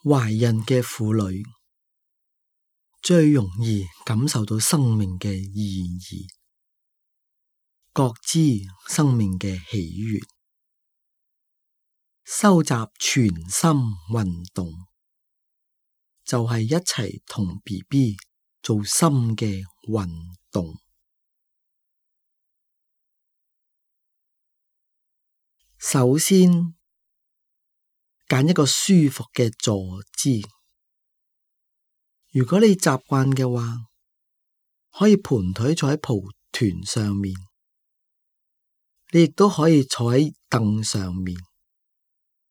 懷孕嘅婦女最容易感受到生命嘅意義，覺知生命嘅喜悅，收集全心運動，就係一齊同 BB 做心嘅運動。首先，揀一個舒服嘅坐姿。如果你習慣嘅話，可以盤腿坐喺蒲團上面，你亦都可以坐喺凳上面，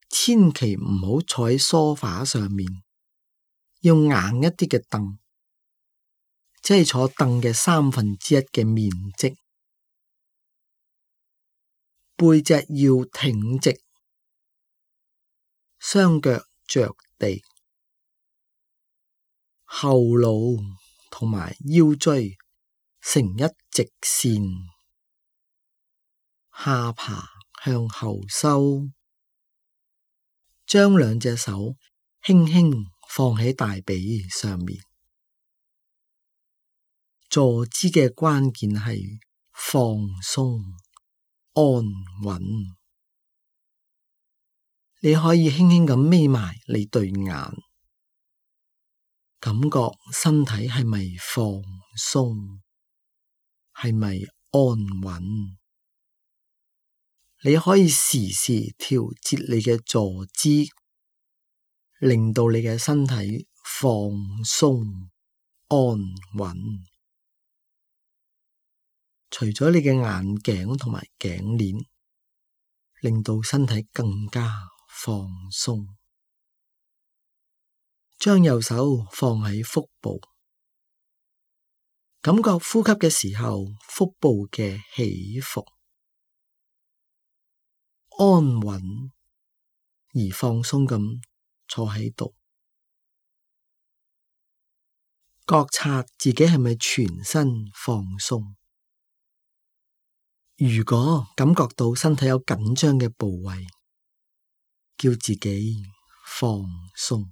千祈唔好坐喺梳化上面，要硬一啲嘅凳，即係坐凳嘅1/3嘅面積，背脊要挺直，雙腳着地，後腦同埋腰椎成一直線，下巴向後收，將兩隻手輕輕放喺大髀上面。坐姿嘅關鍵係放鬆、安穩。你可以輕輕咁眯埋你對眼，感覺身體係咪放鬆，係咪安穩？你可以時時調節你嘅坐姿，令到你嘅身體放鬆、安穩。除咗你嘅眼鏡同埋頸鏈，令到身體更加放鬆。將右手放喺腹部，感覺呼吸嘅時候腹部嘅起伏，安穩而放鬆咁坐喺度，覺察自己係咪全身放鬆。如果感覺到身體有緊張嘅部位，叫自己放鬆。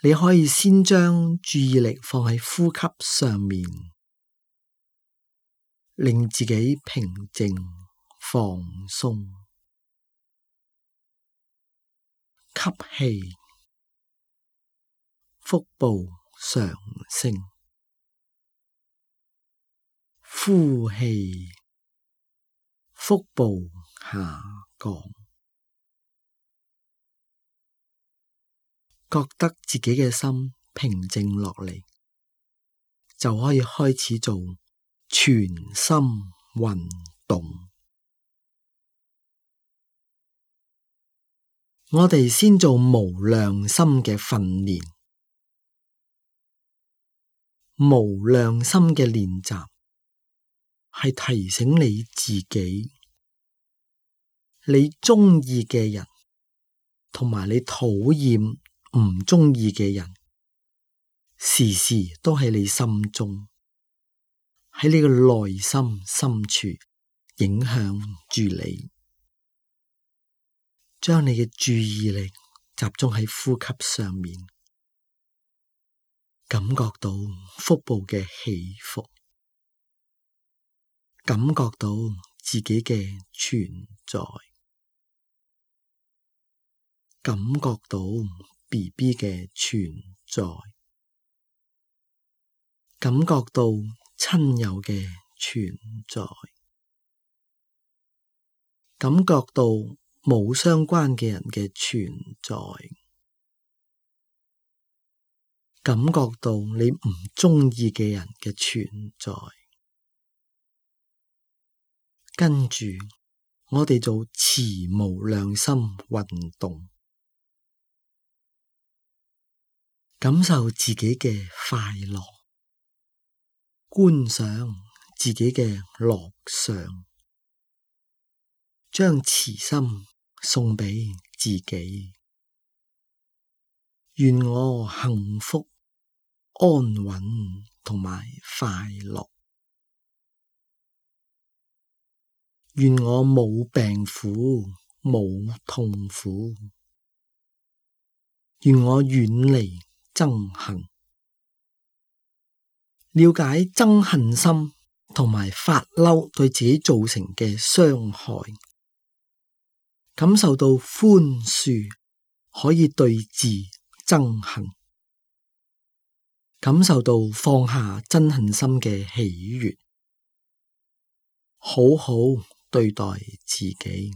你可以先將注意力放喺呼吸上面，令自己平靜放鬆。吸氣，腹部上升；呼氣，腹部下降。覺得自己嘅心平靜落嚟，就可以開始做全心運動。我哋先做無量心嘅訓練。無量心嘅練習係提醒你自己，你鍾意嘅人同埋你討厭唔鍾意嘅人，時時都喺你心中，喺你嘅內心深處影響住你。將你嘅注意力集中喺呼吸上面，感覺到腹部嘅起伏，感覺到自己嘅存在，感覺到 BB 嘅存在，感覺到親友嘅存在，感覺到冇相關嘅人嘅存在，感覺到你唔鍾意嘅人嘅存在。跟住，我哋做慈無量心運動。感受自己嘅快樂，觀賞自己嘅樂相，將慈心送俾自己。願我幸福、安穩同埋快樂。願我冇病苦、冇痛苦。願我遠離憎恨。了解憎恨心同埋發嬲對自己造成嘅傷害，感受到寬恕可以對治憎恨，感受到放下憎恨心嘅喜悅，好好對待自己，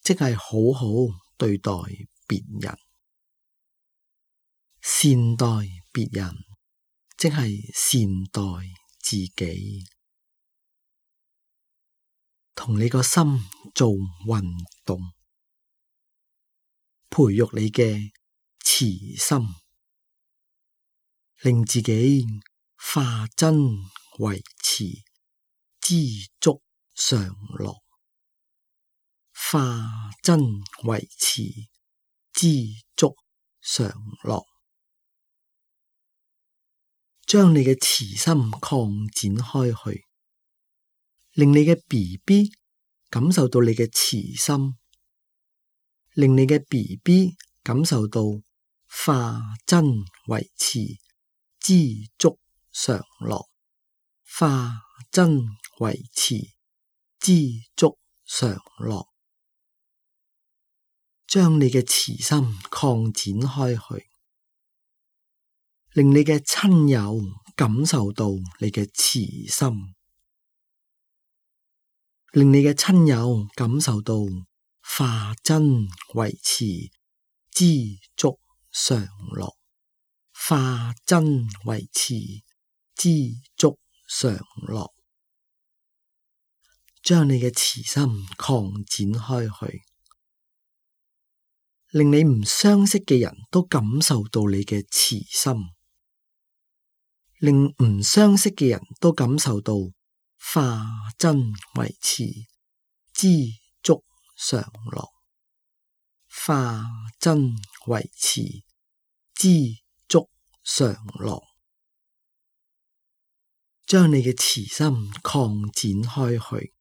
即係好好對待別人，善待別人，即係善待自己，同你個心做運動，培育你嘅慈心，令自己化真為慈，知足常樂，化真為慈，知足常樂。將你嘅慈心擴展開去，令你嘅 BB 感受到你嘅慈心，令你嘅 BB 感受到化真為慈，知足常樂，化真為慈，知足常樂。將你嘅慈心擴展開去，令你嘅親友感受到你嘅慈心，令你嘅親友感受到化真為慈，知足常樂，化真為慈，知足常樂。將你嘅慈心擴展開去，令你唔相識嘅人都感受到你嘅慈心，令唔相識嘅人都感受到化真為慈，知足常樂，化真為慈，知足常樂。將你嘅慈心擴展開去，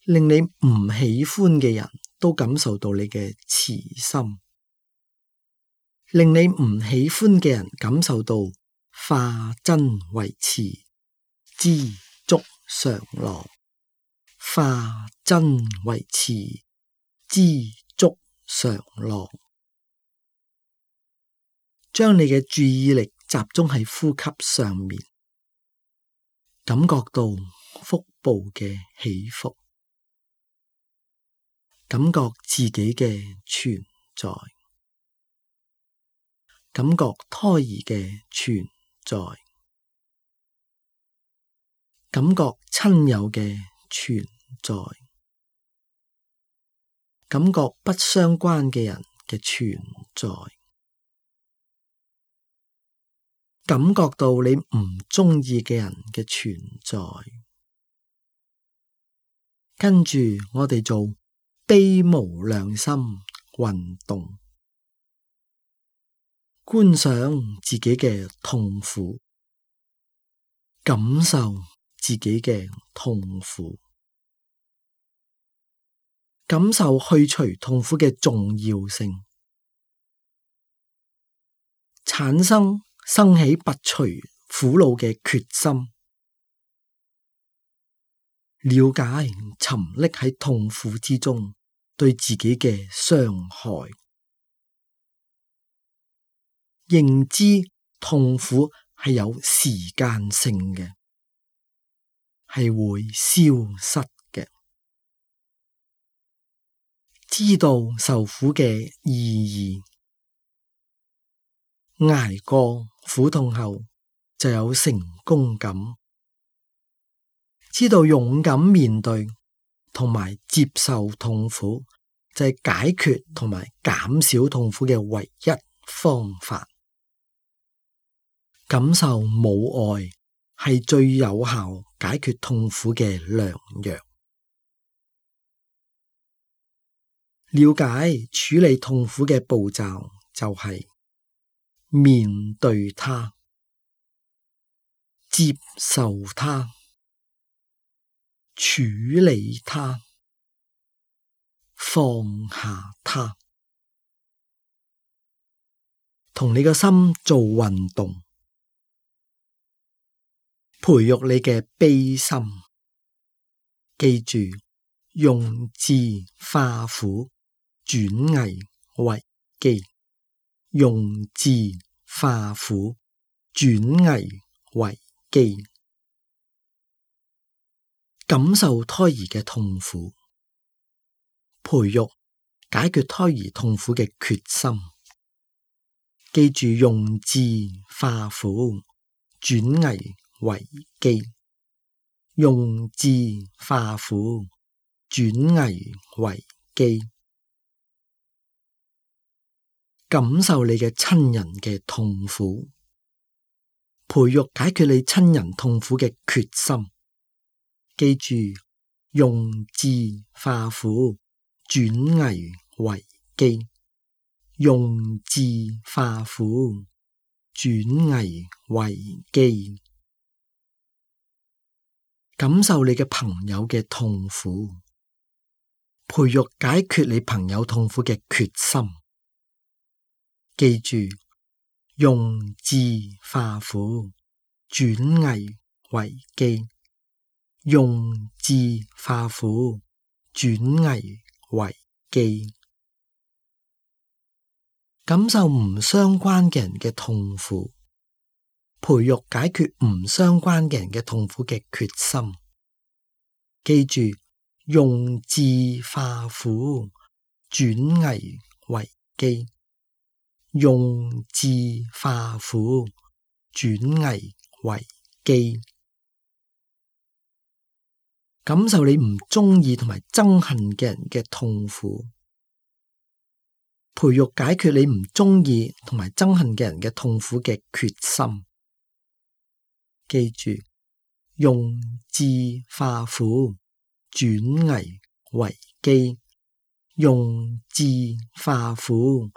令你唔喜歡嘅人都感受到你嘅慈心，令你唔喜歡嘅人感受到化真為慈，知足常樂，化真為慈，知足常樂。將你嘅注意力集中喺呼吸上面，感覺到腹部嘅起伏，感覺自己嘅存在，感覺胎兒嘅存在，感覺親友嘅存在，感覺不相關嘅人嘅存在，感覺到你唔鍾意嘅人嘅存在。跟住我哋做悲無量心運動，觀想自己嘅痛苦，感受自己嘅痛苦，感受去除痛苦嘅重要性，生起拔除苦惱嘅決心，了解沉溺喺痛苦之中對自己嘅傷害，認知痛苦係有時間性嘅，係會消失嘅，知道受苦嘅意義，捱過苦痛後就有成功感，知道勇敢面對同埋接受痛苦就係解決同埋減少痛苦嘅唯一方法，感受母愛係最有效解決痛苦嘅良藥，了解處理痛苦嘅步驟就係面對它，接受它，處理它，放下它。同你個心做運動，培育你嘅悲心。記住，用智化苦，轉危為機。用智化苦，轉危為機。感受胎兒嘅痛苦，培育解決胎兒痛苦嘅決心。記住，用智化苦，轉危為機。用智化苦，轉危為機。感受你嘅親人嘅痛苦，培育解決你親人痛苦嘅決心。記住，用智化苦，轉危為機。用智化苦，轉危為機。感受你嘅朋友嘅痛苦，培育解決你朋友痛苦嘅決心。記住，用智化苦，轉危為機。用智化苦，轉危為機。感受唔相關嘅人嘅痛苦，培育解決唔相關嘅人嘅痛苦嘅決心。記住，用智化苦，轉危為機。用智化苦，轉危為機。感受你唔中意同埋憎恨嘅人嘅痛苦，培育解決你唔中意同埋憎恨嘅人嘅痛苦嘅決心。記住，用智化苦，轉危為機。用智化苦，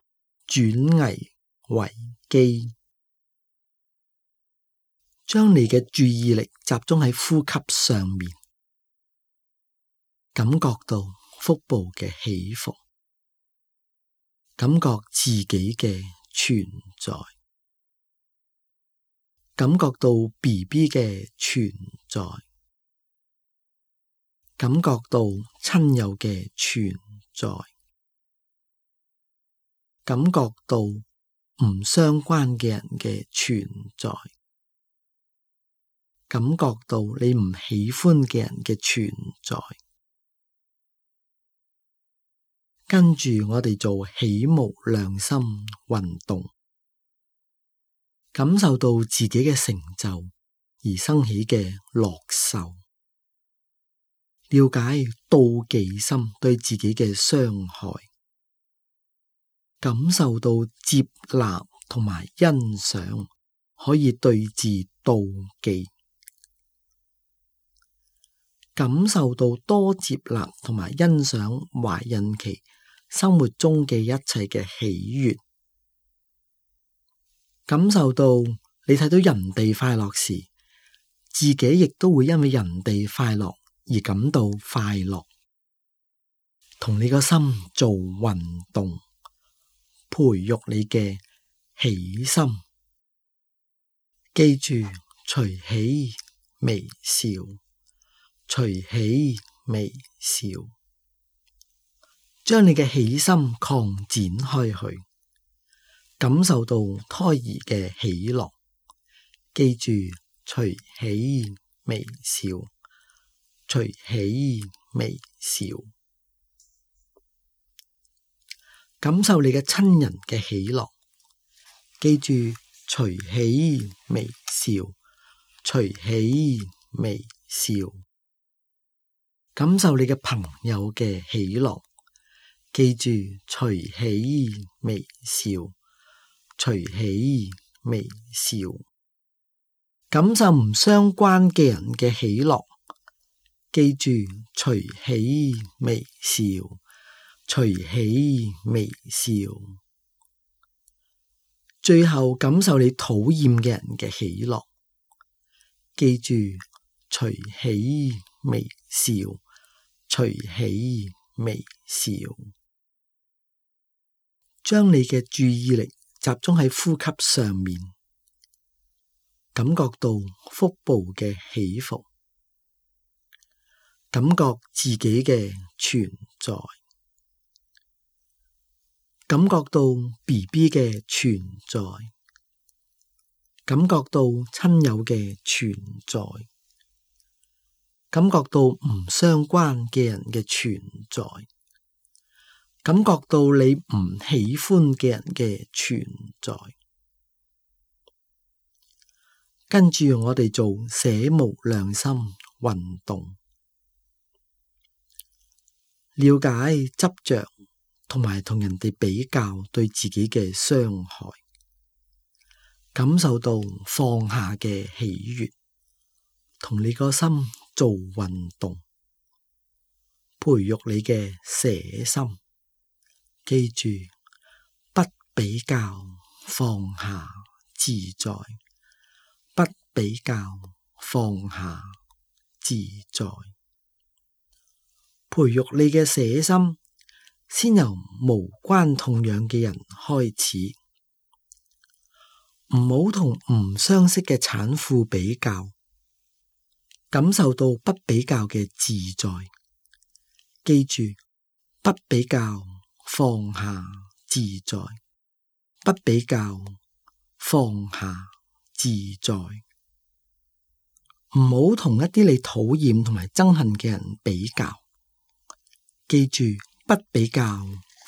轉危為機。將你嘅注意力集中喺呼吸上面，感覺到腹部嘅起伏，感覺自己嘅存在，感覺到 BB 嘅存在，感覺到親友嘅存在，感覺到唔相關嘅人嘅存在，感覺到你唔喜歡嘅人嘅存在。跟住我哋做起無量心運動，感受到自己嘅成就而生起嘅樂受，了解妒忌心對自己嘅傷害，感受到接納同埋欣賞可以對治妒忌，感受到多接納同埋欣賞懷孕期生活中嘅一切嘅喜悅，感受到你睇到人哋快樂時，自己亦都會因為人哋快樂而感到快樂。同你個心做運動，培育你嘅喜心。記住，隨喜微笑，隨喜微笑。將你嘅喜心擴展開去，感受到胎兒嘅喜樂。記住，隨喜微笑，隨喜微笑。感受你嘅親人嘅喜樂。記住，隨喜微笑，隨喜微笑。感受你嘅朋友嘅喜樂。記住，隨喜微笑，隨喜微笑。感受唔相關嘅人嘅喜樂。記住，隨喜微笑，隨喜微笑。最後感受你討厭嘅人嘅喜樂。記住，隨喜微笑，隨喜微笑。將你嘅注意力集集中喺呼吸上面，感覺到腹部嘅起伏，感覺自己嘅存在，感覺到 BB 嘅存在，感覺到親友嘅存在，感覺到唔相關嘅人嘅存在，感覺到你唔喜歡嘅人嘅存在。跟住我哋做捨無量心運動，了解執着同埋同人哋比較對自己嘅傷害，感受到放下嘅喜悅，同你個心做運動，培育你嘅捨心。記住，不比較，放下自在；不比較，放下自在。培育你嘅捨心，先由無關痛癢嘅人開始，唔好同唔相識嘅產婦比較，感受到不比較嘅自在。記住，不比較，放下自在；不比較，放下自在。唔好同一啲你討厭同埋憎恨嘅人比較。記住，不比較，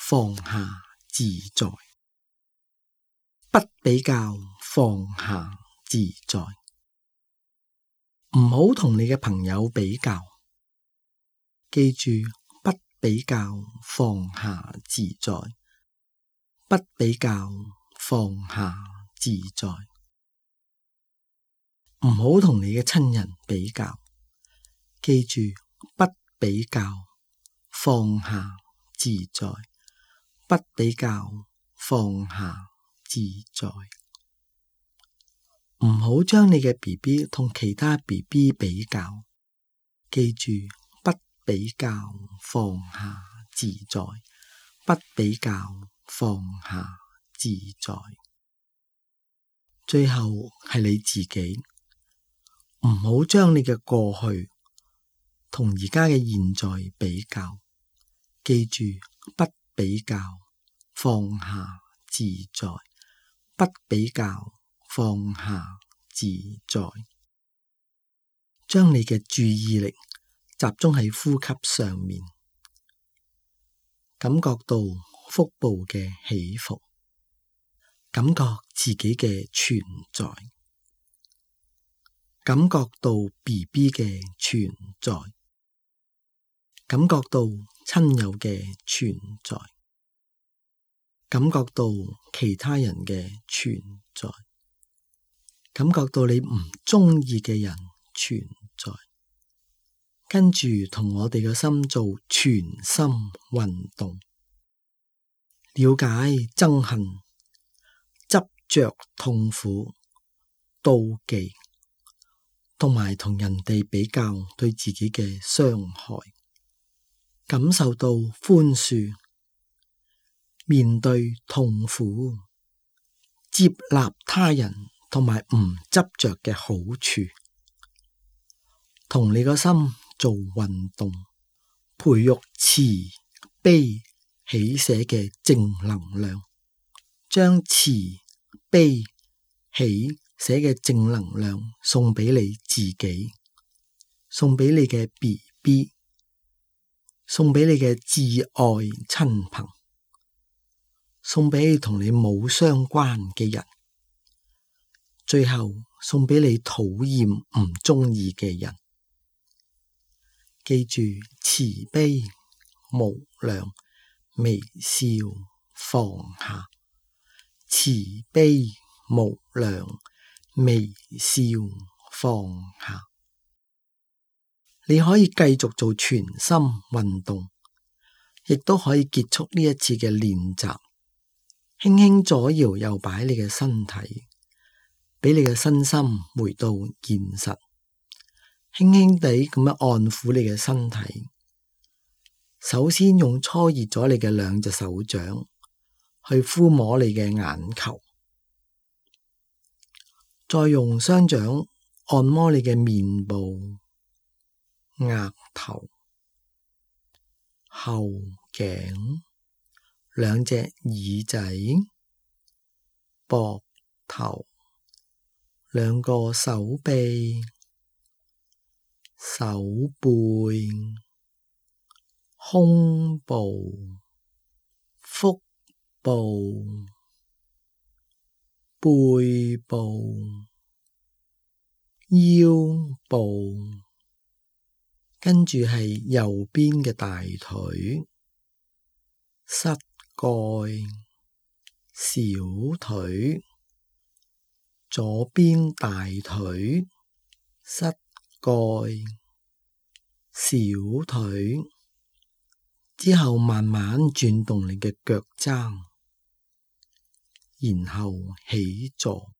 放下自在；不比較，放下自在。唔好同你嘅朋友比較。記住，不比較，放下自在；不比較，放下自在。唔好同你嘅親人比較。記住，不比較，放下自在；不比較，放下自在。唔好將你嘅 BB 同其他 BB 比較。記住，不比較，放下自在；不比較，放下自在。最後係你自己，唔好將你嘅過去同而家嘅現在比較。記住，不比較，放下自在；不比較，放下自在。將你嘅注意力集中喺呼吸上面，感覺到腹部嘅起伏，感覺自己嘅存在，感覺到 BB 嘅存在，感覺到親友嘅存在，感覺到其他人嘅存在，感覺到你唔中意嘅人存在。跟住同我哋嘅心做全心運動，了解憎恨、執着、痛苦、妒忌，同埋同人哋比較對自己嘅傷害，感受到寬恕，面對痛苦，接納他人同埋唔執着嘅好處，同你個心做運動，培育慈悲喜捨嘅正能量，將慈悲喜捨嘅正能量送俾你自己，送俾你嘅 BB， 送俾你嘅摯愛親朋，送俾你同你冇相關嘅人，最後送俾你討厭唔中意嘅人。記住，慈悲無量，微笑放下；慈悲無量，微笑放下。你可以繼續做全心運動，亦都可以結束呢一次嘅練習。輕輕左搖右擺你嘅身體，俾你嘅身心回到現實。輕輕地咁樣按撫你嘅身體，首先用搓熱咗你嘅兩隻手掌去撫摸你嘅眼球，再用雙掌按摩你嘅面部、額頭、後頸、兩隻耳仔、膊頭、兩個手臂、手背、胸部、腹部、背部、腰部，跟住係右邊嘅大腿、膝蓋、小腿，左邊大腿、膝蓋、小腿，之後慢慢轉動你嘅腳踭，然後起坐。